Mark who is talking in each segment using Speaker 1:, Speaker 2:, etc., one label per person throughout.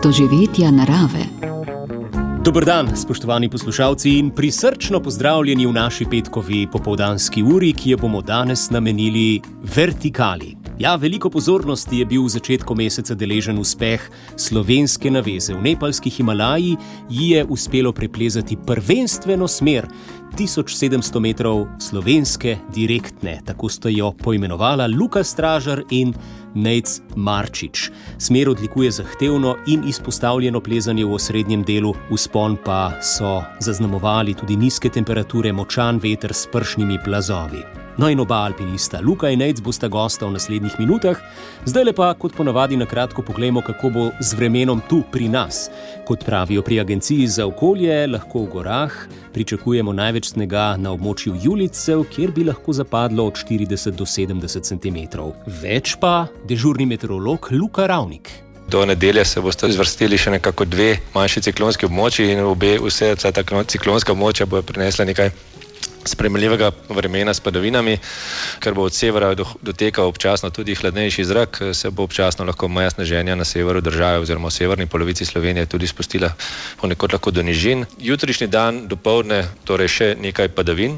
Speaker 1: doživetja narave.
Speaker 2: Dober dan, spoštovani poslušalci, in prisrčno pozdravljeni v naši petkovi popoldanski uri, ki jo bomo danes namenili vertikali. Ja, veliko pozornosti je bil v začetku meseca deležen uspeh slovenske naveze. V nepalski Himalaji ji je uspelo preplezati prvenstveno smer 1700 metrov slovenske direktne. Tako sta jo poimenovala Luka Stražar in Nejc Marčič. Smer odlikuje zahtevno in izpostavljeno plezanje v osrednjem delu, vzpon pa so zaznamovali tudi nizke temperature, močan veter s pršnimi plazovi. No in oba alpinista, Luka in Nejc, bosta gosta v naslednjih minutah. Zdajle pa, kot ponavadi, na kratko poglejmo, kako bo z vremenom tu pri nas. Kot pravijo pri Agenciji za okolje, lahko v gorah pričakujemo največ snega na območju Julijcev, kjer bi lahko zapadlo od 40 do 70 cm. Več pa dežurni meteorolog Luka Ravnik.
Speaker 3: Do nedelje se boste zvrstili še nekako dve manjši ciklonski območji in vsa ta ciklonska območja bojo prinesla nekaj sprejemljivega vremena s padavinami, ker bo od severa dotekal občasno tudi hladnejši zrak, se bo občasno lahko meja sneženja na severu države oziroma v severni polovici Slovenije tudi spustila ponekod lahko do nižin. Jutrišnji dan dopoldne torej še nekaj padavin,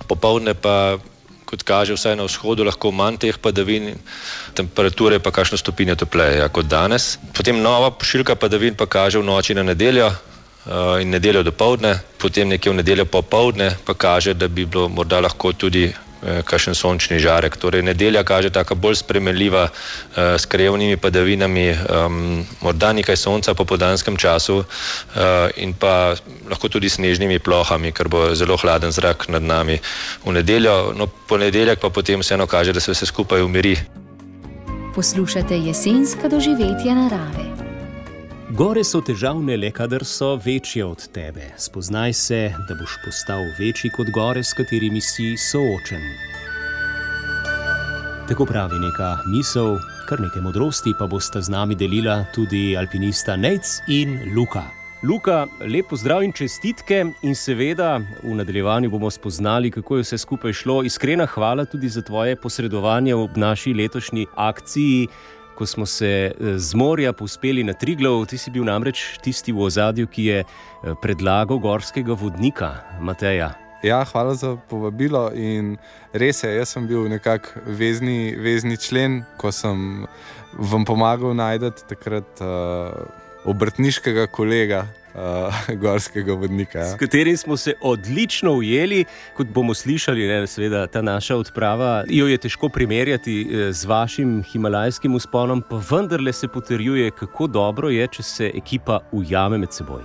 Speaker 3: popoldne pa, kot kaže, vsaj na vzhodu lahko manj teh padavin, temperature pa kakšno stopinjo topleje kot danes. Potem nova pošiljka padavin pa kaže v noči na nedeljo in nedeljo dopoldne, potem nekje v nedeljo popoldne pa kaže, da bi bilo morda lahko tudi kakšen sončni žarek. Torej nedelja kaže taka bolj sprejemljiva s krajevnimi padavinami, morda nekaj sonca po popoldanskem času in pa lahko tudi snežnimi plohami, ker bo zelo hladen zrak nad nami v nedeljo. No, ponedeljek pa potem vseeno kaže, da se vse skupaj umiri.
Speaker 1: Poslušate jesenska doživetja narave.
Speaker 2: Gore so težavne le, kadar so večje od tebe. Spoznaj se, da boš postal večji kot gore, s katerimi si soočen. Tako pravi neka misel, kar nekaj modrosti pa bosta z nami delila tudi alpinista Nejc in Luka. Luka, lep pozdrav in čestitke in seveda v nadaljevanju bomo spoznali, kako je vse skupaj šlo. Iskrena hvala tudi za tvoje posredovanje v naši letošnji akciji, ko smo se z morja povzpeli na Triglav. Ti si bil namreč tisti v ozadju, ki je predlagal gorskega vodnika, Mateja.
Speaker 4: Ja, hvala za povabilo in res je, jaz sem bil nekak vezni člen, ko sem vam pomagal najti takrat obrtniškega kolega, gorskega vodnika. Ja.
Speaker 2: S katerim smo se odlično ujeli, kot bomo slišali, seveda ta naša odprava, jo je težko primerjati z vašim himalajskim vzponom, pa vendarle se potrjuje, kako dobro je, če se ekipa ujame med seboj.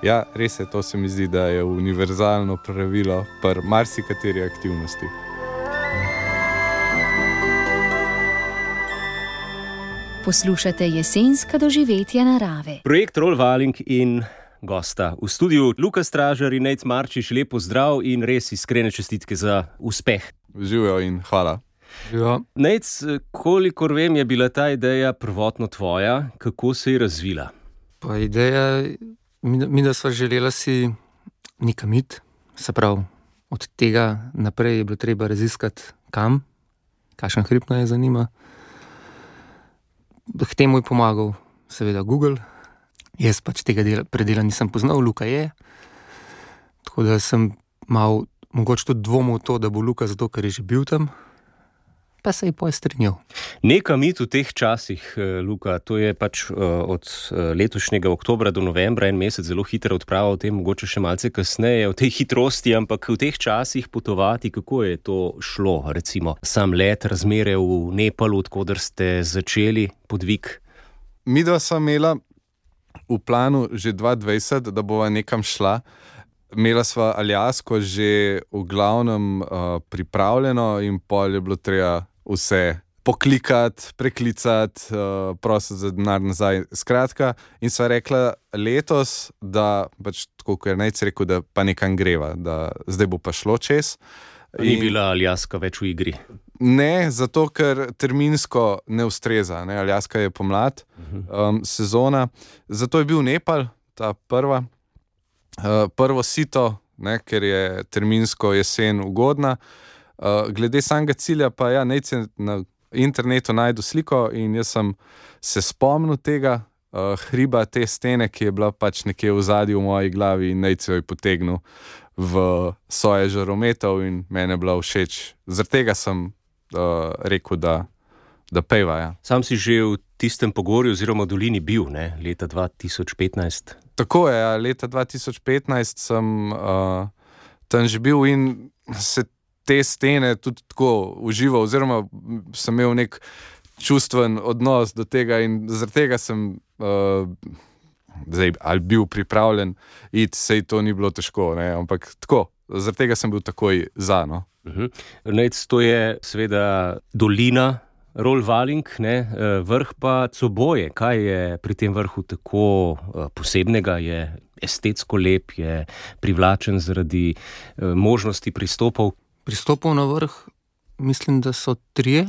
Speaker 4: Ja, res je, to se mi zdi, da je univerzalno pravilo pri marsikateri aktivnosti.
Speaker 1: Poslušate jesenska doživetja narave.
Speaker 2: Projekt Rollvaling in gosta v studiu Luka Stražar in Nejc Marčič. Lep pozdrav in res iskrene čestitke za uspeh.
Speaker 4: Živijo in hvala.
Speaker 2: Nejc, kolikor vem, je bila ta ideja prvotno tvoja. Kako se je razvila?
Speaker 5: Pa ideja, mi da sva želela si nekam iti, se pravi, od tega naprej je bilo treba raziskati kam, kakšen hrib nas je zanima. K temu je pomagal seveda Google. Jaz pač tega predela nisem poznal, Luka je. Tako da sem mal mogoče tudi dvomil to, da bo Luka zato, ker je že bil tam. Pa se je strinjal.
Speaker 2: Nekam iti v teh časih, Luka, to je pač od letošnjega oktobra do novembra en mesec, zelo hitra odprava, o tem mogoče še malce kasneje, o tej hitrosti, ampak v teh časih potovati, kako je to šlo, recimo sam let, razmere v Nepalu, odkoder ste začeli podvig?
Speaker 4: Midva sva imela v planu že 2020, da bova nekam šla. Imela sva Aljasko že v glavnem pripravljeno in pol je bilo treba vse poklikati, preklicati, prositi za denar nazaj. Skratka, in sva rekla letos, da pač tako, kot je Nejc rekel, da pa nekam greva, da zdaj bo pa šlo čez.
Speaker 2: Ni bila Aljaska več v igri?
Speaker 4: Ne, zato ker terminsko ne ustreza. Ne? Aljaska je pomlad, sezona. Zato je bil Nepal, ta prvo sito, ne, ker je terminsko jesen ugodna. Glede samega cilja pa Nejc je na internetu najdu sliko in jaz sem se spomnil tega hriba te stene, ki je bila pač nekje v zadju v moji glavi in najce jo potegnil v soje žarometov in mene je bila všeč. Zaradi tega sem rekel, da peva. Ja.
Speaker 2: Sam si že v tistem pogorju oziroma dolini bil, ne? Leta 2015.
Speaker 4: Tako je, ja. Leta 2015 sem tam že bil in se te stene tudi tako užival, oziroma sem imel nek čustven odnos do tega in zaradi tega sem zdaj ali bil pripravljen iti, sej to ni bilo težko, ne? Ampak tako, zaradi tega sem bil takoj za, no.
Speaker 2: Nejc, to je seveda dolina Rollvalling, ne? Vrh pa Coboje. Kaj je pri tem vrhu tako posebnega? Je estetsko lep, je privlačen zaradi možnosti pristopov?
Speaker 5: Pristopov na vrh, mislim, da so 3.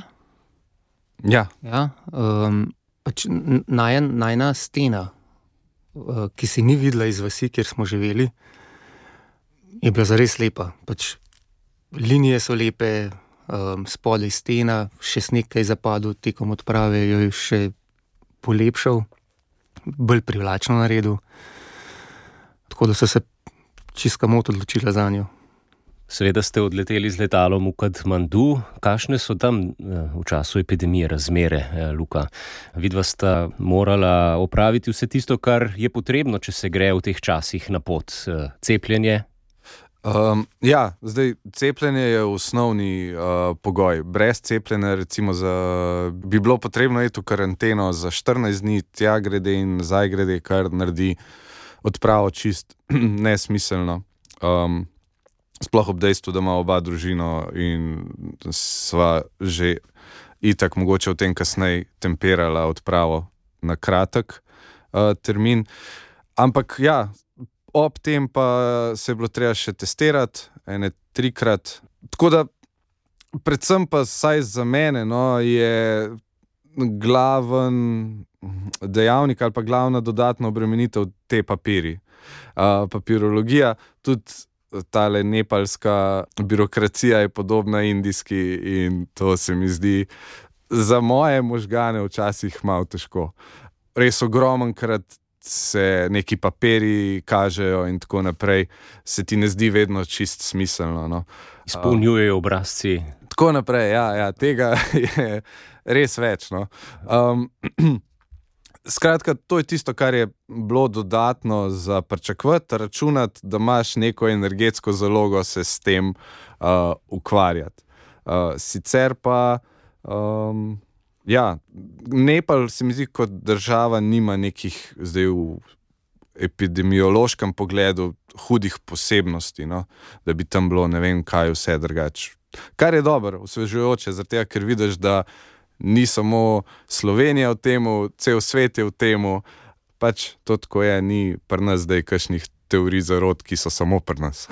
Speaker 4: Ja.
Speaker 5: Pač najna stena, ki se ni videla iz vasi, kjer smo živeli, je bila zares lepa. Pač linije so lepe, spodaj stena, še sneg je zapadel tekom odprave, jo je še polepšal, bolj privlačno naredil. Tako da so se čisto komot odločila za njo.
Speaker 2: Seveda ste odleteli z letalom v Katmandu. Kakšne so tam v času epidemije razmere, Luka? Vidva sta morala opraviti vse tisto, kar je potrebno, če se gre v teh časih na pot. Cepljenje?
Speaker 4: Ja, zdaj cepljenje je osnovni pogoj. Brez cepljenja recimo bi bilo potrebno iti v karanteno za 14 dni, tja grede in nazaj grede, kar naredi odpravo čist nesmiselno. Sploh ob dejstvu, da ima oba družino in sva že itak mogoče v tem kasneje temperala odpravo na kratek termin. Ampak ja, ob tem pa se je bilo treba še testirati 3-krat. Tako da predvsem pa saj za mene je glaven dejavnik ali pa glavna dodatna obremenitev te papiri. Papirologija, tudi tale nepalska birokracija je podobna indijski in to se mi zdi za moje možgane včasih malo težko. Res ogromenkrat se neki papiri kažejo in tako naprej, se ti ne zdi vedno čist smiselno. No.
Speaker 2: Izpolnjujejo obrazci.
Speaker 4: Tako naprej, ja, tega je res več. No. Skratka, to je tisto, kar je bilo dodatno za pričakovati, računati, da imaš neko energetsko zalogo se s tem ukvarjati. Sicer pa, ja, Nepal se mi zdi kot država nima nekih zdaj v epidemiološkem pogledu hudih posebnosti, no? Da bi tam bilo ne vem kaj vse drugače. Kar je dobro, osvežujoče, zaradi tega, ker vidiš, da ni samo Slovenija v temu, cel svet je v temu, pač to tako je, ni pri nas zdaj kakšnih teorij zarod, ki so samo pri nas.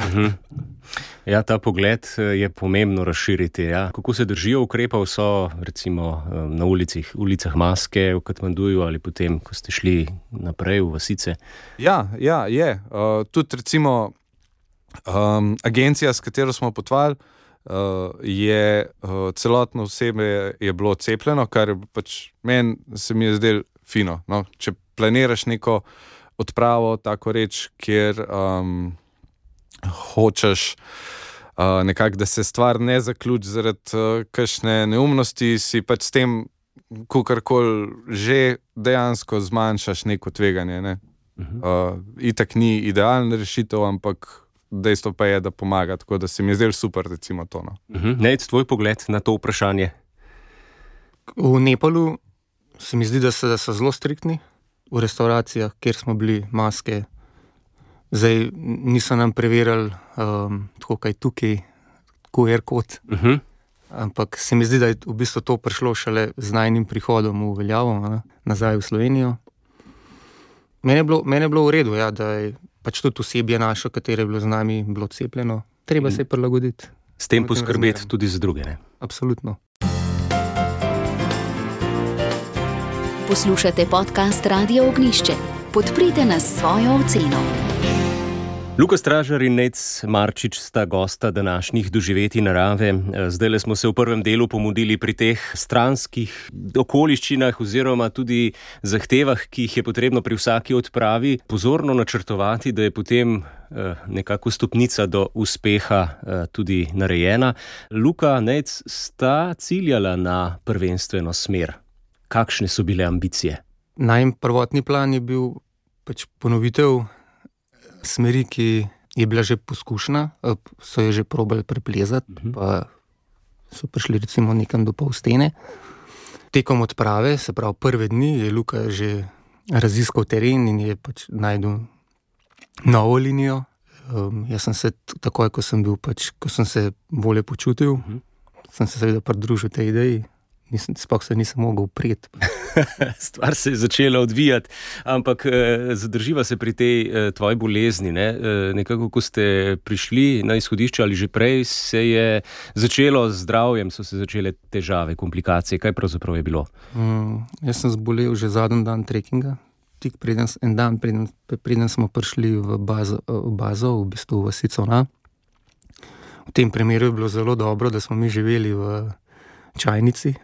Speaker 2: Ja, ta pogled je pomembno razširiti. Ja. Kako se držijo ukrepov, so recimo na ulicah maske v Katmanduju ali potem, ko ste šli naprej v vasice? Ja,
Speaker 4: je. Tudi recimo agencija, s katero smo potovali, je celotno osebje je bilo cepljeno, kar pač meni se mi je zdelo fino. No? Če planiraš neko odpravo, tako reč, kjer hočeš nekako, da se stvar ne zaključi zaradi kakšne neumnosti, si pač s tem kakorkoli že dejansko zmanjšaš neko tveganje. Ne? Itak ni idealna rešitev, ampak dejstvo pa je, da pomaga, tako da se mi je zdelo super, recimo to. No.
Speaker 2: Nejc, tvoj pogled na to vprašanje?
Speaker 5: V Nepalu se mi zdi, da so zelo striktni v restauracijah, kjer smo bili, maske. Zdaj niso nam preverjali tako kaj tukaj, QR kod. Ampak se mi zdi, da je v bistvu to prišlo šele z najnim prihodom v veljavo, nazaj v Slovenijo. Mene je bilo v redu, ja, da je pač tudi osebje našo, katero je bilo z nami, bilo cepljeno. Treba se prilagoditi.
Speaker 2: S tem poskrbeti tudi za druge, ne?
Speaker 5: Absolutno.
Speaker 1: Poslušate podcast Radio Ognjišče. Podprite nas s svojo oceno.
Speaker 2: Luka Stražar in Nejc Marčič sta gosta današnjih doživetij narave. Zdajle smo se v prvem delu pomudili pri teh stranskih okoliščinah oziroma tudi zahtevah, ki jih je potrebno pri vsaki odpravi pozorno načrtovati, da je potem nekako stopnica do uspeha tudi narejena. Luka, Nejc, sta ciljala na prvenstveno smer. Kakšne so bile ambicije?
Speaker 5: Najin prvotni plan je bil ponovitev smeri, ki je bila že poskušana, so jo že probali preplezati, pa so prišli recimo nekam do pol stene. Tekom odprave, se pravi prve dni, je Luka že raziskal teren in je najdel novo linijo. Jaz sem se takoj, ko sem se bolje počutil, sem se seveda pridružil tej ideji. Sploh se nisem mogel upreti.
Speaker 2: Stvar se je začela odvijati, ampak zadrživa se pri tej tvoji bolezni. Nekako, ko ste prišli na izhodišče ali že prej, se je začelo z zdravjem, so se začele težave, komplikacije. Kaj pravzaprav je bilo?
Speaker 5: Jaz sem zbolel že zadnji dan trekinga. Tik preden smo prišli v bazo, v bistvu v Sicona. V tem primeru je bilo zelo dobro, da smo mi živeli v čajnici.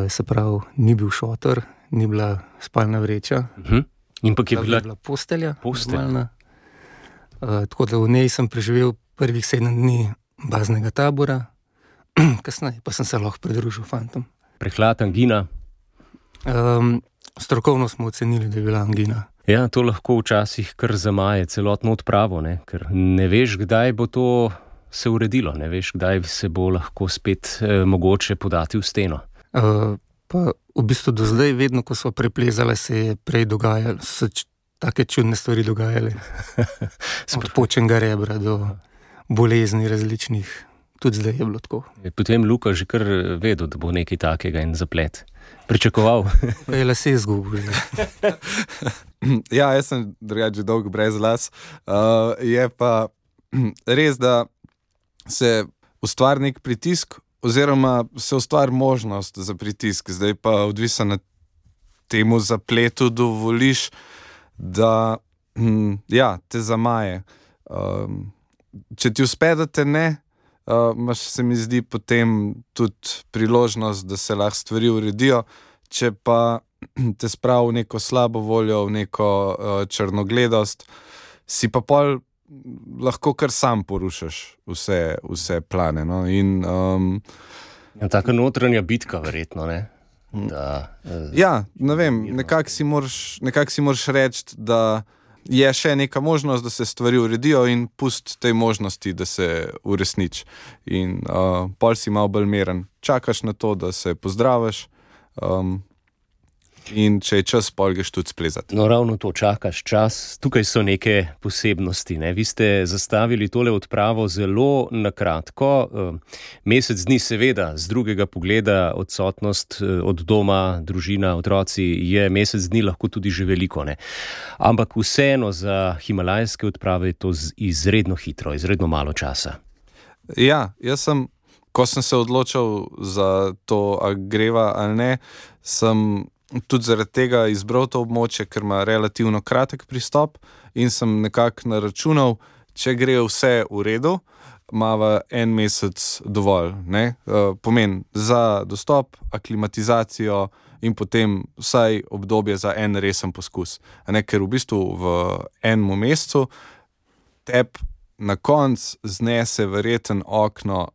Speaker 5: Se pravi, ni bil šotor, ni bila spalna vreča.
Speaker 2: In pa je bila
Speaker 5: postelja. Tako da v njej sem preživel prvih 7 dni baznega tabora, kasneje pa sem se lahko pridružil fantom.
Speaker 2: Prehlad, angina?
Speaker 5: Strokovno smo ocenili, da je bila angina.
Speaker 2: Ja, to lahko včasih kar zamaje celotno odpravo, ker ne veš, kdaj bo to se uredilo, ne veš, kdaj se bo lahko spet mogoče podati v steno.
Speaker 5: Pa v bistvu do zdaj, vedno, ko so preplezale, se je prej dogajalo, so se take čudne stvari dogajale. Od počenega rebra do bolezni različnih. Tudi zdaj je bilo tako.
Speaker 2: Je potem Luka že kar vedel, da bo nekaj takega in zaplet. Pričakoval.
Speaker 5: Pa je lase izgubil.
Speaker 4: Ja, jaz sem drugače dolg brez las. Je pa res, da se ustvari nek pritisk, oziroma se ustvari možnost za pritisk. Zdaj pa odvisno na temu zapletu dovoliš, da te zamaje. Če ti uspe, da te ne, imaš, se mi zdi, potem tudi priložnost, da se lahko stvari uredijo. Če pa te spravi v neko slabo voljo, v neko črnogledost, si pa pol lahko kar sam porušaš vse plane. No? In,
Speaker 2: taka notranja bitka, verjetno, ne?
Speaker 4: Ja, ne vem, nekako si moraš reči, da je še neka možnost, da se stvari uredijo in pusti tej možnosti, da se uresniči. In pol si malo bolj miren. Čakaš na to, da se pozdraviš, in če je čas, pol greš tudi splezati.
Speaker 2: No, ravno to, čakaš čas. Tukaj so neke posebnosti. Vi ste zastavili tole odpravo zelo na kratko. Mesec dni, seveda, z drugega pogleda, odsotnost od doma, družina, otroci, je mesec dni lahko tudi že veliko. Ampak vseeno za himalajske odprave je to izredno hitro, izredno malo časa.
Speaker 4: Ja, ko sem se odločil za to, a greva ali ne, sem tudi zaradi tega izbral to območje, ker ima relativno kratek pristop in sem nekako naračunal, če gre vse v redu, imava 1 mesec dovolj. Pomeni za dostop, aklimatizacijo in potem vsaj obdobje za en resen poskus. Ker v bistvu v enem mesecu teb na konc znese verjeten okno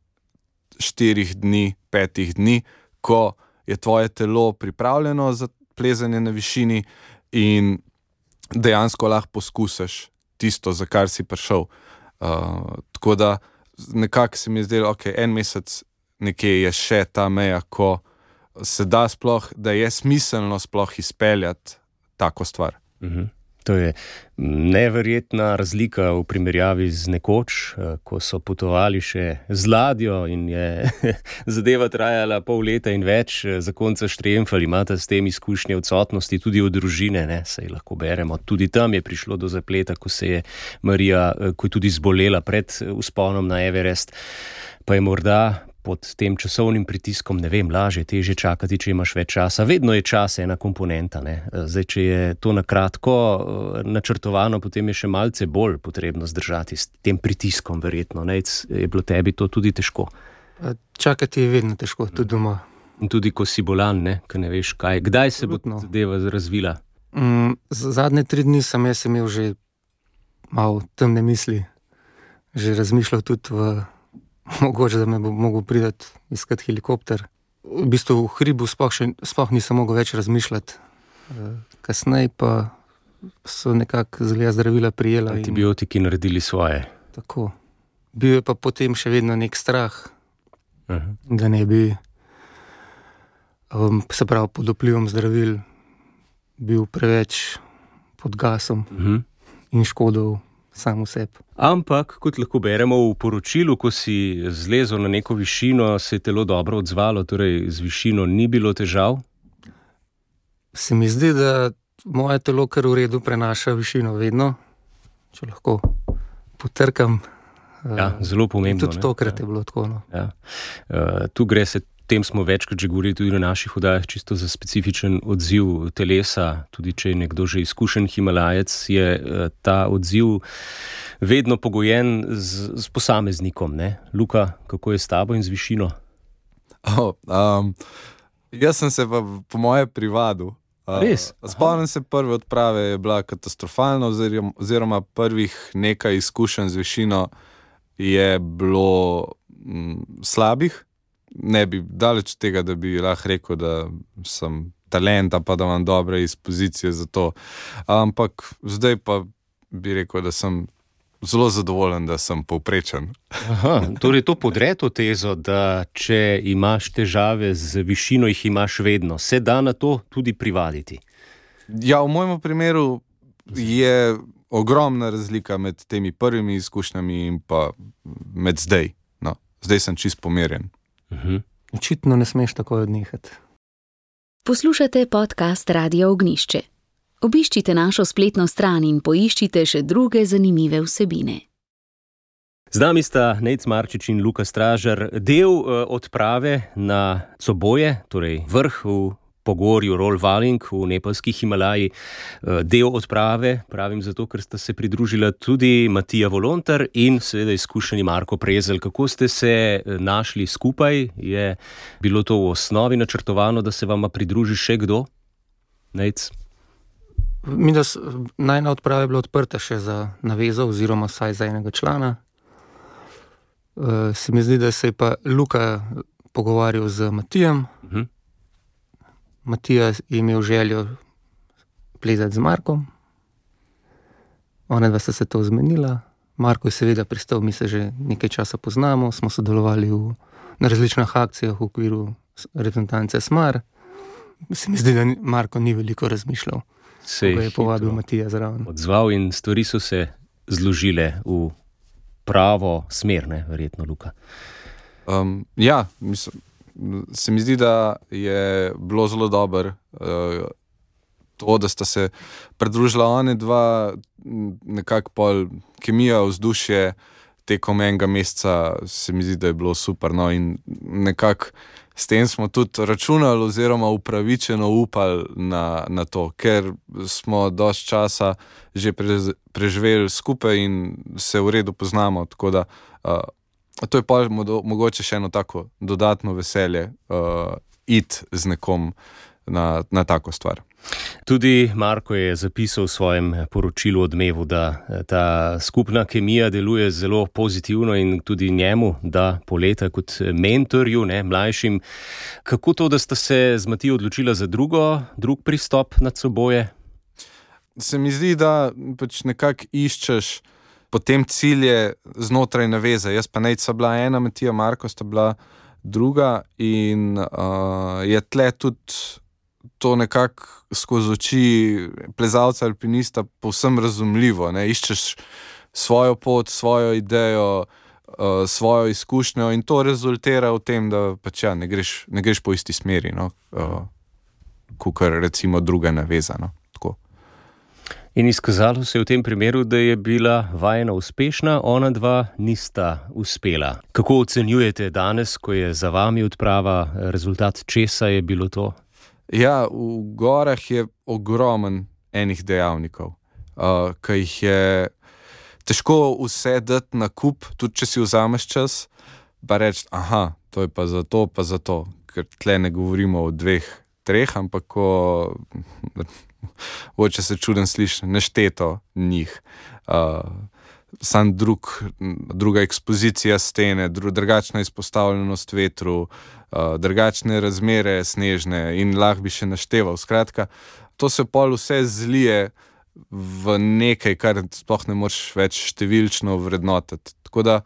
Speaker 4: 4 dni, 5 dni, ko je tvoje telo pripravljeno za plezanje na višini in dejansko lahko poskusiš tisto, za kar si prišel. Tako da nekako se mi je zdelo, en mesec nekje je še ta meja, ko se da sploh, da je smiselno sploh izpeljati tako stvar.
Speaker 2: To je neverjetna razlika v primerjavi z nekoč, ko so potovali še z ladjo in je zadeva trajala pol leta in več, zakonca štremfali, imate s tem izkušnje odsotnosti tudi od družine, saj lahko beremo. Tudi tam je prišlo do zapleta, ko se je Marija, ko je tudi zbolela pred vzponom na Everest, pa je morda pod tem časovnim pritiskom, ne vem, lažje, težje čakati, če imaš več časa. Vedno je čas ena komponenta, ne. Zdaj, če je to na kratko načrtovano, potem je še malce bolj potrebno zdržati s tem pritiskom, verjetno. Nejc, je bilo tebi to tudi težko?
Speaker 5: Čakati je vedno težko, tudi doma.
Speaker 2: In tudi ko si bolan, ne, ko ne veš kaj. Kdaj se bo zadeva razvila?
Speaker 5: Zadnje 3 dni sem imel že malo temne misli. Že razmišljal tudi mogoče, da me bo mogel priti iskati helikopter. V bistvu v hribu sploh nisem mogel več razmišljati. Kasneje pa so nekako zdravila prijela.
Speaker 2: Antibiotiki naredili svoje.
Speaker 5: Tako. Bil je pa potem še vedno nek strah, da ne bi se pravi pod vplivom zdravil bil preveč pod gasom in škodil sam v sebi.
Speaker 2: Ampak, kot lahko beremo v poročilu, ko si zlezel na neko višino, se je telo dobro odzvalo, torej z višino ni bilo težav?
Speaker 5: Se mi zdi, da moje telo kar v redu prenaša višino vedno, če lahko potrkam.
Speaker 2: Ja, zelo pomembno.
Speaker 5: Tudi tokrat je bilo tako. No.
Speaker 2: Ja. Tu gre se, tem smo večkrat že govorili tudi na naših oddajah, čisto za specifičen odziv telesa, tudi če je nekdo že izkušen himalajec, je ta odziv vedno pogojen z posameznikom, ne? Luka, kako je s tabo in z višino?
Speaker 4: Jaz sem se pa po moje privadil.
Speaker 2: Res?
Speaker 4: Spomnim se, prve odprave je bila katastrofalna, oziroma prvih nekaj izkušenj z višino je bilo slabih. Ne bi daleč tega, da bi lahko rekel, da sem talenta, pa da imam dobre izpozicije za to. Ampak zdaj pa bi rekel, da sem zelo zadovoljen, da sem povprečen.
Speaker 2: Aha, torej to podre to tezo, da če imaš težave z višino, jih imaš vedno. Se da na to tudi privaditi?
Speaker 4: Ja, v mojem primeru je ogromna razlika med temi prvimi izkušnjami in pa med zdaj. No, zdaj sem čist pomirjen.
Speaker 5: Očitno ne smeš tako odnehati.
Speaker 1: Poslušate podcast Radia Ognjišče. Obiščite našo spletno stran in poiščite še druge zanimive vsebine.
Speaker 2: Z nami sta Nejc Marčič in Luka Stražar. Del odprave na Coboje, torej vrh v pogorju Rol Valing v nepalskih Himalaji. Del odprave, pravim zato, ker sta se pridružila tudi Matija Volontar in seveda izkušeni Marko Prezelj. Kako ste se našli skupaj? Je bilo to v osnovi načrtovano, da se vama pridruži še kdo? Nejc?
Speaker 5: Najna odprava je bila odprta še za navezo oziroma vsaj za enega člana. Se mi zdi, da se je pa Luka pogovarjal z Matijem. Matija je imel željo plezati z Markom. Ona dva sta se to zmenila. Marko je seveda pristal, mi se že nekaj časa poznamo, smo sodelovali na različnih akcijah v okviru reprezentance Smar. Se mi zdi, da Marko ni veliko razmišljal. Ko je povabil Matija zraven.
Speaker 2: Odzval in stvari so se zložile v pravo smer, ne, verjetno, Luka.
Speaker 4: Ja, mislim, se mi zdi, da je bilo zelo dobro to, da sta se pridružila one dva, nekako pol kemija, vzdušje tekom enega meseca, se mi zdi, da je bilo super. No, in nekako s tem smo tudi računali oziroma upravičeno upali na to, ker smo dosti časa že preživeli skupaj in se v redu poznamo, tako da to je pa mogoče še eno tako dodatno veselje iti z nekom na tako stvar.
Speaker 2: Tudi Marko je zapisal v svojem poročilu Odmevu, da ta skupna kemija deluje zelo pozitivno in tudi njemu da poleta kot mentorju, ne, mlajšim. Kako to, da sta se z Matijo odločila za drug pristop nad Coboje?
Speaker 4: Se mi zdi, da pač nekako iščeš potem cilje znotraj naveze. Jaz pa Nejc bila ena, Matija, Marko sta bila druga in je tle tudi to nekako skozi oči plezalca, alpinista povsem razumljivo. Ne? Iščeš svojo pot, svojo idejo, svojo izkušnjo in to rezultira v tem, da pač ja, ne greš po isti smeri, no? Kakor recimo druga naveza. No? Tako.
Speaker 2: In izkazalo se je v tem primeru, da je bila vajina uspešna, ona dva nista uspela. Kako ocenjujete danes, ko je za vami odprava, rezultat česa je bilo to?
Speaker 4: Ja, v gorah je ogromen enih dejavnikov, ki jih je težko vse dati na kup, tudi če si vzameš čas, pa reči, aha, to je pa zato, ker tle ne govorimo o 2-3, ampak če se čuden sliši, nešteto njih. Sam druga ekspozicija stene, drugačna izpostavljenost vetru, drugačne razmere snežne in lahko bi še našteval. Skratka, to se pol vse zlije v nekaj, kar sploh ne moreš več številčno vrednotiti. Tako da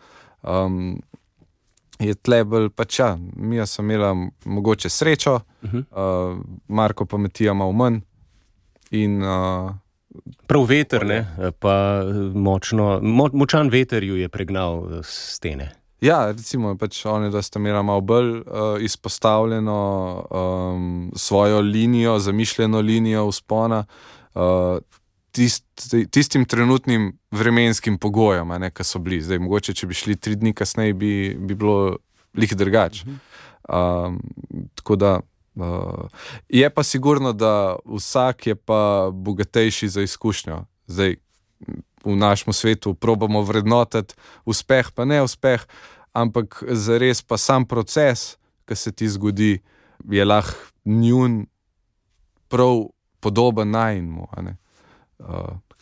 Speaker 4: je tle bolj Mija sem imela mogoče srečo, Marko pa Matija malo manj. In,
Speaker 2: prav veter, ne? Pa močan veter ju je pregnal stene.
Speaker 4: Ja, recimo, oni, da sta imela malo bolj izpostavljeno svojo linijo, zamišljeno linijo vzpona, tistim trenutnim vremenskim pogojem, ki so bili. Zdaj, mogoče, če bi šli 3 dni kasneje, bi bilo lih drugače. Tako da je pa sigurno, da vsak je pa bogatejši za izkušnjo. Zdaj, v našem svetu probamo vrednotiti uspeh pa neuspeh, ampak zares pa sam proces, ki se ti zgodi, je lahko njun prav podoben najinmu.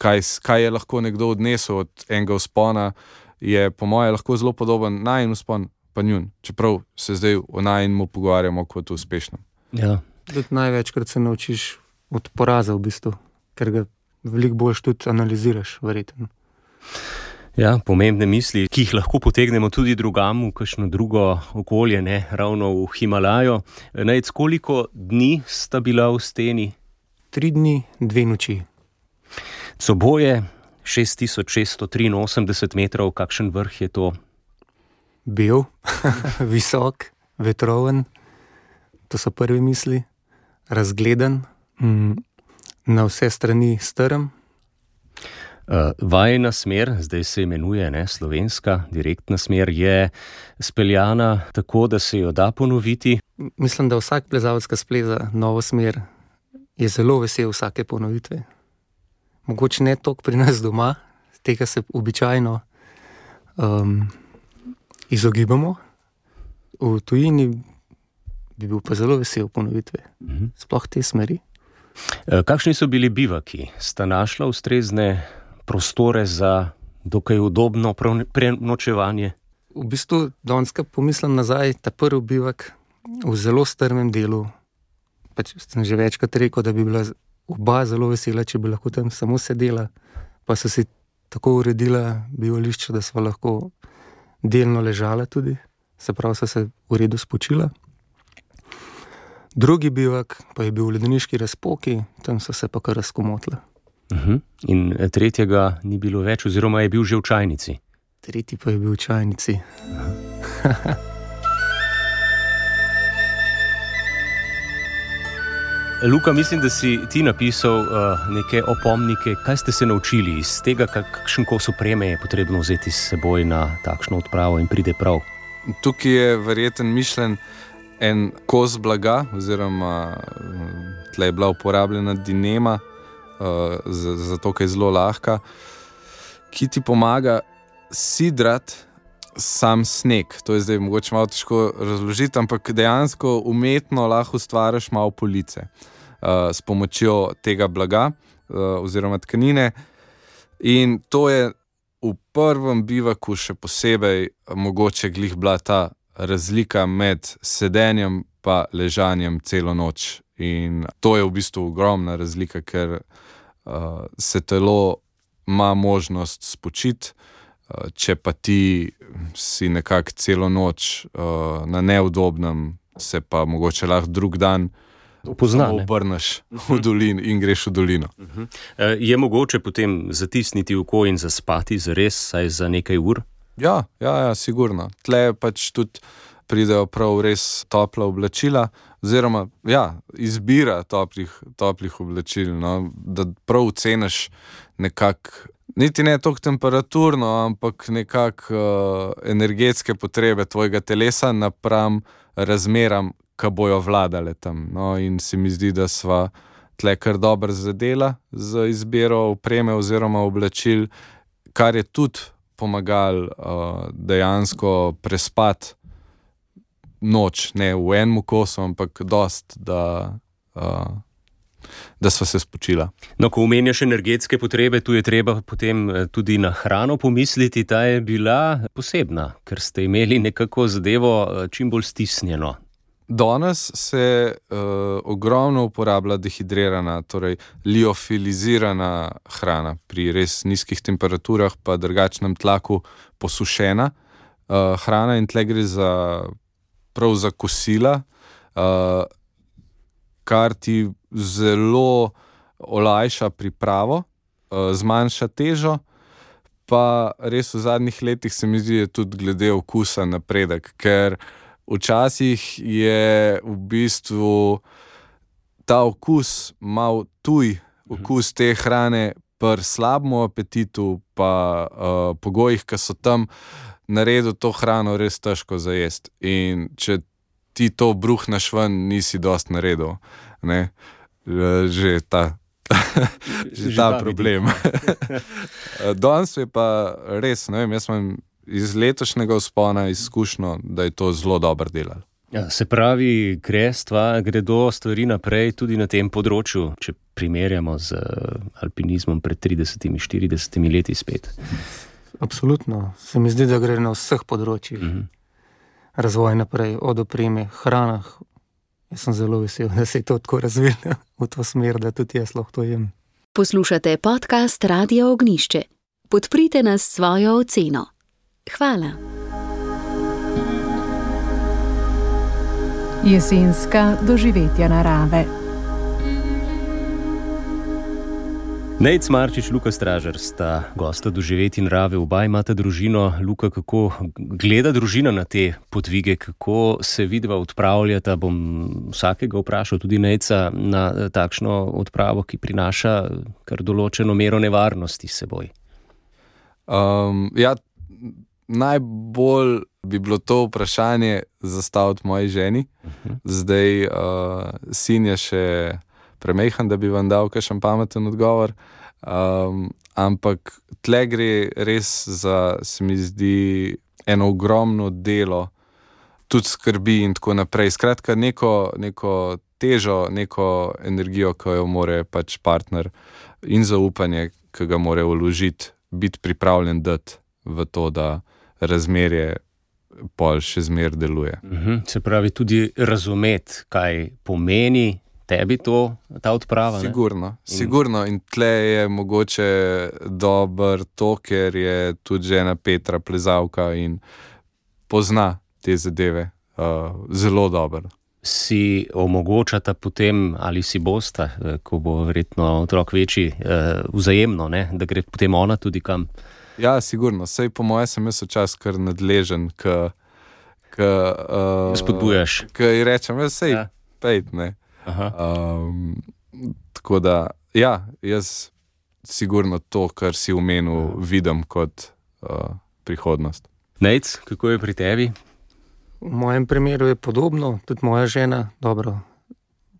Speaker 4: Kaj je lahko nekdo odnesel od enega vzpona, je po moje lahko zelo podoben najin vzpon pa njun, čeprav se zdaj o najinmu pogovarjamo kot o uspešnem.
Speaker 2: Ja.
Speaker 5: Največkrat se naučiš od poraza v bistvu, ker ga veliko bolj tudi analiziraš, verjetno.
Speaker 2: Ja, pomembne misli, ki jih lahko potegnemo tudi drugam v kakšno drugo okolje, ne ravno v Himalajo. Najc, koliko dni sta bila v steni?
Speaker 5: 3 dni, 2 noči.
Speaker 2: Coboje, 6683 metrov, kakšen vrh je to?
Speaker 5: Bil, visok, vetroven. To so prve misli, razgledan, na vse strani strm.
Speaker 2: Vajina smer, zdaj se imenuje slovenska direktna smer, je speljana tako, da se jo da ponoviti.
Speaker 5: Mislim, da vsak plezalec, ki spleza novo smer, je zelo vesel vsake ponovitve. Mogoče ne toliko pri nas doma, tega se običajno izogibamo. V tujini bi bil pa zelo vesel ponovitve, sploh te smeri.
Speaker 2: Kakšni so bili bivaki? Sta našla ustrezne prostore za dokaj udobno prenočevanje?
Speaker 5: V bistvu, danes, ko pomislim nazaj, ta prvi bivak v zelo strmem delu, sem že večkrat rekel, da bi bila oba zelo vesela, če bi lahko tam samo sedela, pa so si tako uredila bivališče, da sva lahko delno ležala tudi, se pravi, so se v redu spočila. Drugi bivak pa je bil v ledeniški razpoki, tam so se pa kar razkomotila.
Speaker 2: In tretjega ni bilo več, oziroma je bil že v čajnici?
Speaker 5: Tretji pa je bil v čajnici.
Speaker 2: Luka, mislim, da si ti napisal neke opomnike. Kaj ste se naučili iz tega, kakšen kos opreme je potrebno vzeti s seboj na takšno odpravo in pride prav?
Speaker 4: Tukaj je verjeten mišljen en kos blaga, oziroma tle je bila uporabljena dinema, zato ker je zelo lahka, ki ti pomaga sidrati sam sneg. To je zdaj mogoče malo težko razložiti, ampak dejansko umetno lahko ustvariš malo police s pomočjo tega blaga oziroma tkanine. In to je v prvem bivaku še posebej mogoče glih bila ta razlika med sedenjem pa ležanjem celo noč. In to je v bistvu ogromna razlika, ker se telo ima možnost spočiti, če pa ti si nekako celo noč na neudobnem, se pa mogoče lahko drug dan obrneš v dolino in greš v dolino.
Speaker 2: Je mogoče potem zatisniti oko in zaspati zares, saj za nekaj ur?
Speaker 4: Ja, sigurno. Tle je pač tudi pridejo prav res topla oblačila, oziroma izbira toplih oblačil, no, da prav ceniš nekako, niti ne toliko temperaturno, ampak nekako energetske potrebe tvojega telesa napram razmeram, ki bojo vladale tam. No, in se mi zdi, da sva tle kar dobro zadela z izbiro opreme oziroma oblačil, kar je tudi pomagal dejansko prespati noč, ne v enem kosu, ampak dost, da sva se spočila.
Speaker 2: No, ko omenjaš energetske potrebe, tu je treba potem tudi na hrano pomisliti, ta je bila posebna, ker ste imeli nekako zadevo čim bolj stisnjeno.
Speaker 4: Danes se ogromno uporablja dehidrirana, torej liofilizirana hrana, pri res nizkih temperaturah pa drugačnem tlaku posušena hrana, in tle gre prav za kosila, kar ti zelo olajša pripravo, zmanjša težo, pa res v zadnjih letih se mi zdi, tudi glede okusa napredek, ker včasih je v bistvu ta okus mal tuj, okus te hrane pri slabem apetitu, pa pogojih, ki so tam, naredil to hrano res težko zajesti. In če ti to bruhneš ven, nisi dost naredil, ne? Že ta problem. Danes je pa res, ne vem, jaz imam iz letošnjega vzpona izkušnjo, da je to zelo dobro delalo.
Speaker 2: Ja, se pravi, gredo stvari naprej tudi na tem področju, če primerjamo z alpinizmom pred 30-40 leti spet.
Speaker 5: Absolutno. Se mi zdi, da gre na vseh področjih. Razvoj naprej, od opreme, hranah. Jaz sem zelo vesel, da se je to tako razvilo v to smer, da tudi jaz lahko to jem.
Speaker 1: Poslušate podcast Radia Ognišče. Podprite nas s svojo oceno. Hvala.
Speaker 6: Jesenska doživetja narave.
Speaker 2: Nejc Marčič, Luka Stražar sta gosta doživetij narave, oba imata družino. Luka, kako gleda družina na te podvige, kako se vidva odpravljata? Bom vsakega vprašal, tudi Nejca, na takšno odpravo, ki prinaša kar določeno mero nevarnosti s seboj.
Speaker 4: Najbolj bi bilo to vprašanje zastaviti moji ženi. Zdaj sin je še premejhan, da bi vam dal kakšen pameten odgovor, ampak tle gre res za, se mi zdi, eno ogromno delo, tudi skrbi in tako naprej. Skratka, neko težo, neko energijo, ki jo more pač partner, in zaupanje, ki ga more vložiti, biti pripravljen dati v to, da razmerje pol še zmer deluje.
Speaker 2: Se pravi, tudi razumeti, kaj pomeni tebi ta odprava.
Speaker 4: Sigurno. In tle je mogoče dober to, ker je tudi žena Petra plezalka in pozna te zadeve zelo dobro.
Speaker 2: Si omogočata potem, ali si bosta, ko bo verjetno otrok večji, vzajemno, ne? Da gre potem ona tudi kam?
Speaker 4: Ja, sigurno. Sej po moje sem jaz včasih kar nadležen,
Speaker 2: spodbujaš.
Speaker 4: Ki rečem, sej pejt, ne. Tako da, jaz sigurno to, kar si omenil, vidim kot prihodnost.
Speaker 2: Nejc, kako je pri tebi?
Speaker 5: V mojem primeru je podobno, tudi moja žena, dobro,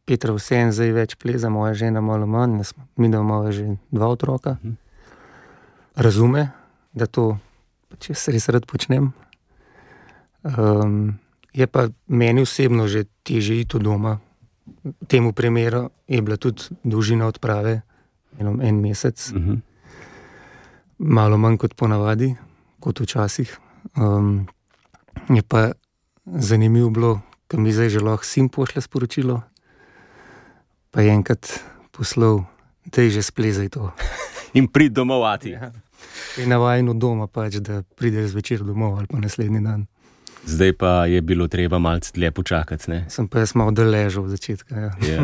Speaker 5: Petra vseeno zdaj več pleza, moja žena malo manj, mi da imamo že 2 otroka. Razume, da to pač jaz res rad počnem. Je pa meni osebno že težje iti doma. V temu primeru je bila tudi dolžina odprave en mesec. Malo manj kot ponavadi, kot včasih. Je pa zanimivo bilo, ko mi zdaj že lahko sin pošlje sporočilo, pa je enkrat poslal, daj že splezaj to.
Speaker 2: In prid domov ati.
Speaker 5: Ja. Je navajeno doma pač, da prideš zvečer domov ali pa naslednji dan.
Speaker 2: Zdaj pa je bilo treba malce dlje počakati, ne?
Speaker 5: Sem pa jaz malo ležal v začetka, ja.
Speaker 2: Ja.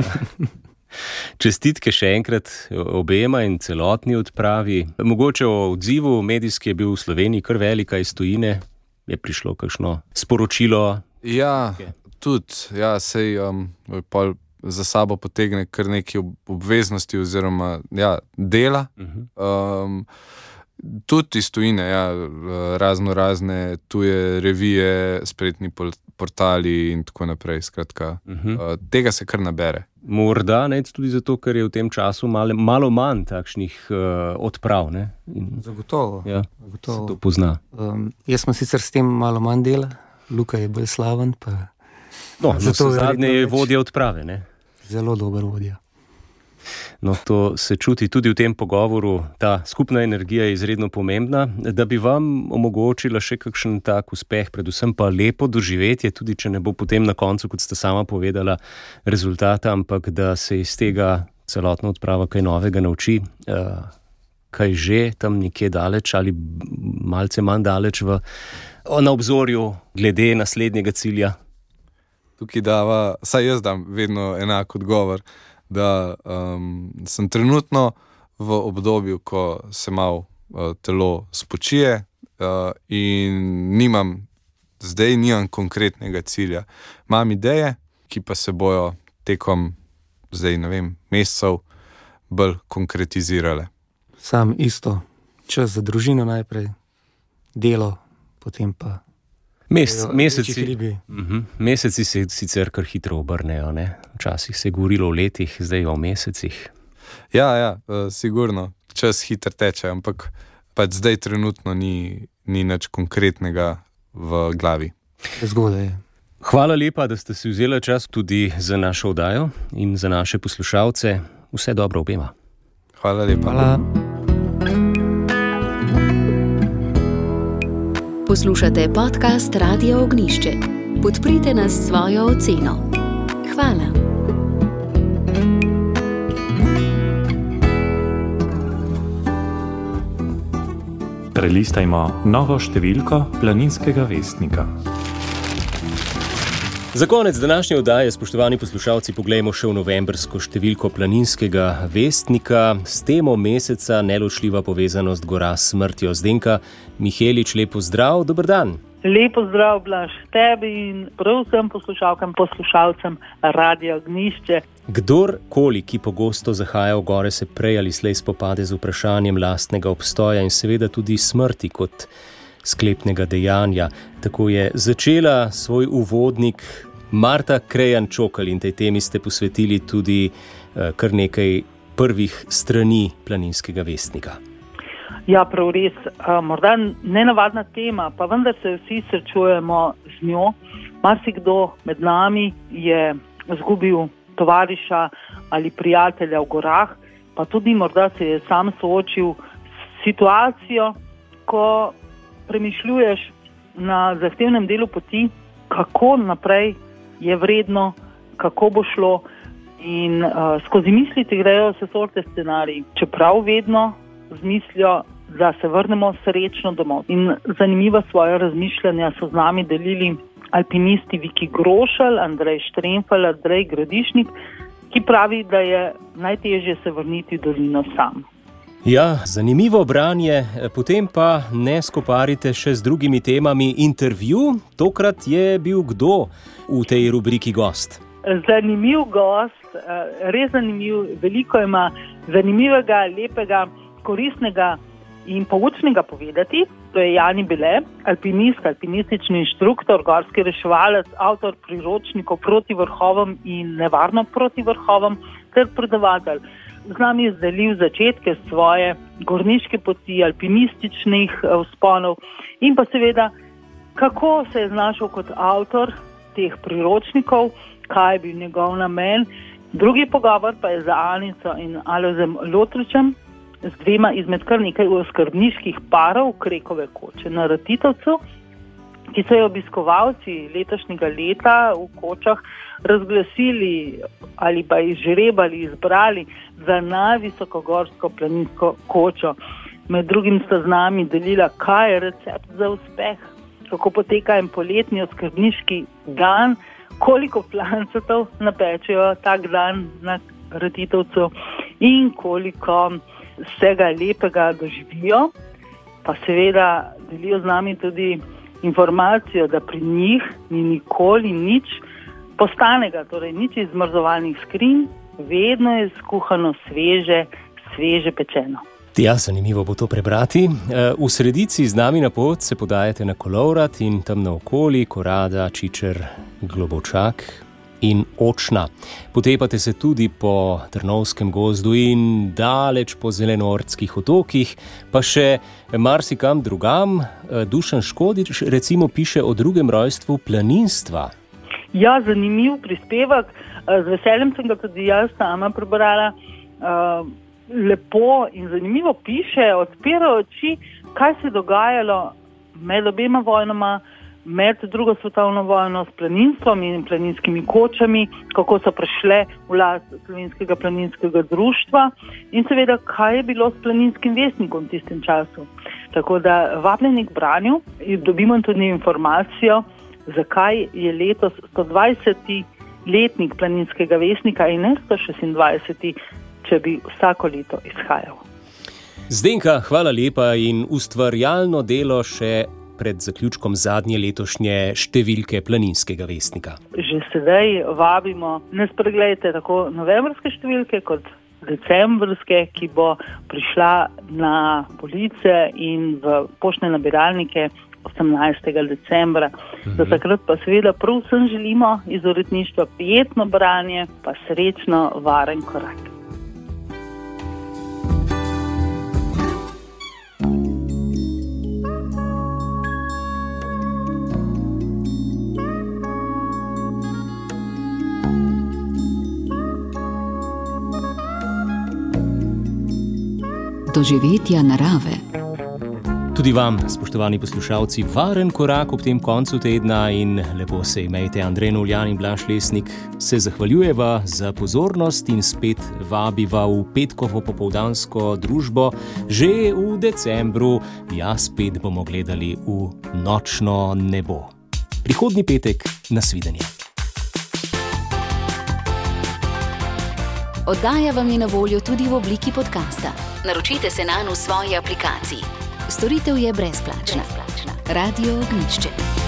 Speaker 2: Čestitke še enkrat obema in celotni odpravi. Mogoče o odzivu medijski je bil v Sloveniji kar velika iz tujine. Je prišlo kakšno sporočilo
Speaker 4: Ja, tudi, sej pol za sabo potegne kar nekaj obveznosti oziroma dela. Tudi iz tujine, razne tuje revije, spletni portali in tako naprej. Skratka, tega se kar nabere.
Speaker 2: Morda tudi zato, ker je v tem času malo manj takšnih odprav. Ne?
Speaker 5: Zagotovo.
Speaker 2: Se to pozna.
Speaker 5: Jaz sem sicer s tem malo manj dela, Luka je bolj slaven.
Speaker 2: Zato zadnje je vodja odprave. Ne?
Speaker 5: Zelo dober vodja.
Speaker 2: No, to se čuti tudi v tem pogovoru. Ta skupna energija je izredno pomembna, da bi vam omogočila še kakšen tak uspeh, predvsem pa lepo doživetje, tudi če ne bo potem na koncu, kot ste sama povedala, rezultata, ampak da se iz tega celotna odprava kaj novega nauči, kaj že tam nekje daleč ali malce manj daleč na obzorju glede naslednjega cilja.
Speaker 4: Tukaj saj jaz dam vedno enak odgovor, da sem trenutno v obdobju, ko se malo telo spočije in nimam konkretnega cilja. Imam ideje, ki pa se bojo tekom mesecev bolj konkretizirale.
Speaker 5: Sam isto, čas za družino najprej, delo, potem pa
Speaker 2: Meseci se sicer kar hitro obrnejo, ne? Včasih se je govorilo o letih, zdaj o mesecih.
Speaker 4: Ja, sigurno, čas hitro teče, ampak zdaj trenutno ni nič konkretnega v glavi.
Speaker 5: Zgodaj je.
Speaker 2: Hvala lepa, da ste si vzeli čas tudi za našo oddajo in za naše poslušalce. Vse dobro obema.
Speaker 4: Hvala lepa.
Speaker 5: Hvala.
Speaker 1: Poslušate podcast Radia Ognišče. Podprite nas s svojo oceno. Hvala.
Speaker 7: Prelistajmo novo številko Planinskega vestnika.
Speaker 2: Za konec današnje oddaje, spoštovani poslušalci, poglejmo še v novembrsko številko Planinskega vestnika s temo meseca neločljiva povezanost gora s smrtjo. Zdenka Mihelič, lepo zdrav, dober dan.
Speaker 8: Lepo zdrav, Blaž, tebi in prav vsem poslušalcem Radia Ognišče.
Speaker 2: Kdorkoli, ki pogosto zahaja v gore, se prej ali slej spopade z vprašanjem lastnega obstoja in seveda tudi smrti kot sklepnega dejanja. Tako je začela svoj uvodnik Marta Krejan-Čokl in tej temi ste posvetili tudi kar nekaj prvih strani Planinskega vestnika.
Speaker 8: Ja, prav res. Morda nenavadna tema, pa vendar se vsi srečujemo z njo. Marsikdo med nami je izgubil tovariša ali prijatelja v gorah, pa tudi morda se je sam soočil s situacijo, ko premišljuješ na zahtevnem delu poti, kako naprej je vredno, kako bo šlo in skozi misli ti grejo vse sorte scenariji, čeprav vedno z mislijo, da se vrnemo srečno domov. In zanimiva svoja razmišljanja so z nami delili alpinisti Viki Grošelj, Andrej Štremfelj, Andrej Gradišnik, ki pravi, da je najtežje se vrniti v dolino sam.
Speaker 2: Ja, zanimivo branje, potem pa ne skoparite še z drugimi temami. Intervju, tokrat je bil kdo v tej rubriki gost?
Speaker 8: Zanimiv gost, res zanimiv, veliko ima zanimivega, lepega, koristnega in poučnega povedati. To je Jani Bele, alpinist, alpinistični inštruktor, gorski reševalec, avtor priročnikov Proti vrhovom in Nevarno proti vrhovom ter predavatelj. Z nami je delil začetke svoje gorniške poti, alpinističnih vzponov in pa seveda, kako se je znašel kot avtor teh priročnikov, kaj je bil njegov namen. Drugi pogovor pa je za Anico in Alojzem Lotričem, z dvema izmed kar nekaj oskrbniških parov Krekove koče na Ratitovcu, ki so jo obiskovalci letošnjega leta v kočah razglasili ali pa izžrebali, izbrali za najvisokogorsko planinsko kočo. Med drugim sta z nami delila, kaj je recept za uspeh, kako poteka en poletni oskrbniški dan, koliko plancetov napečejo tak dan na Ratitovcu in koliko vsega lepega doživijo. Pa seveda delijo z nami tudi informacijo, da pri njih ni nikoli nič postanega, torej nič iz zmrzovalnih skrinj, vedno je skuhano sveže pečeno.
Speaker 2: Ja, zanimivo bo to prebrati. V Sredici z nami na pot se podajate na Kolovrat in tam naokoli Korada, Čičer, Globočak in Očna. Potepate se tudi po Trnovskem gozdu in daleč po Zelenortskih otokih, pa še marsikam drugam. Dušan Škodič recimo piše o drugem rojstvu planinstva.
Speaker 8: Ja, zanimiv prispevek. Z veseljem sem ga tudi jaz sama prebrala. Lepo in zanimivo piše, odpira oči, kaj se je dogajalo med obema vojnama, med drugo svetovno vojno s planinstvom in planinskimi kočami, kako so prišle v last Slovenskega planinskega društva in seveda, kaj je bilo s Planinskim vestnikom v tistem času. Tako da vabljeni k branju in dobimo tudi informacijo, zakaj je letos 120. letnik Planinskega vestnika in ne 126. če bi vsako leto izhajal.
Speaker 2: Zdenka, hvala lepa in ustvarjalno delo še pred zaključkom zadnje letošnje številke Planinskega vestnika.
Speaker 8: Že sedaj vabimo, ne spregledajte tako novembrske številke kot decembrske, ki bo prišla na police in v poštne nabiralnike 18. decembra. Do takrat pa seveda prav vsem želimo iz uredništva prijetno branje, pa srečno varen korak.
Speaker 1: Doživetja narave.
Speaker 2: Tudi vam, spoštovani poslušalci, varen korak ob tem koncu tedna in lepo se imejte. Andrej Novljan in Blaž Lesnik se zahvaljujeva za pozornost in spet vabiva v petkovo popoldansko družbo že v decembru. Ja, spet bomo gledali v nočno nebo. Prihodnji petek, nasvidenje.
Speaker 1: Oddaja vam je na voljo tudi v obliki podcasta. Naročite se nanj v svoji aplikaciji. Storitev je brezplačna. Radio Ognjišče.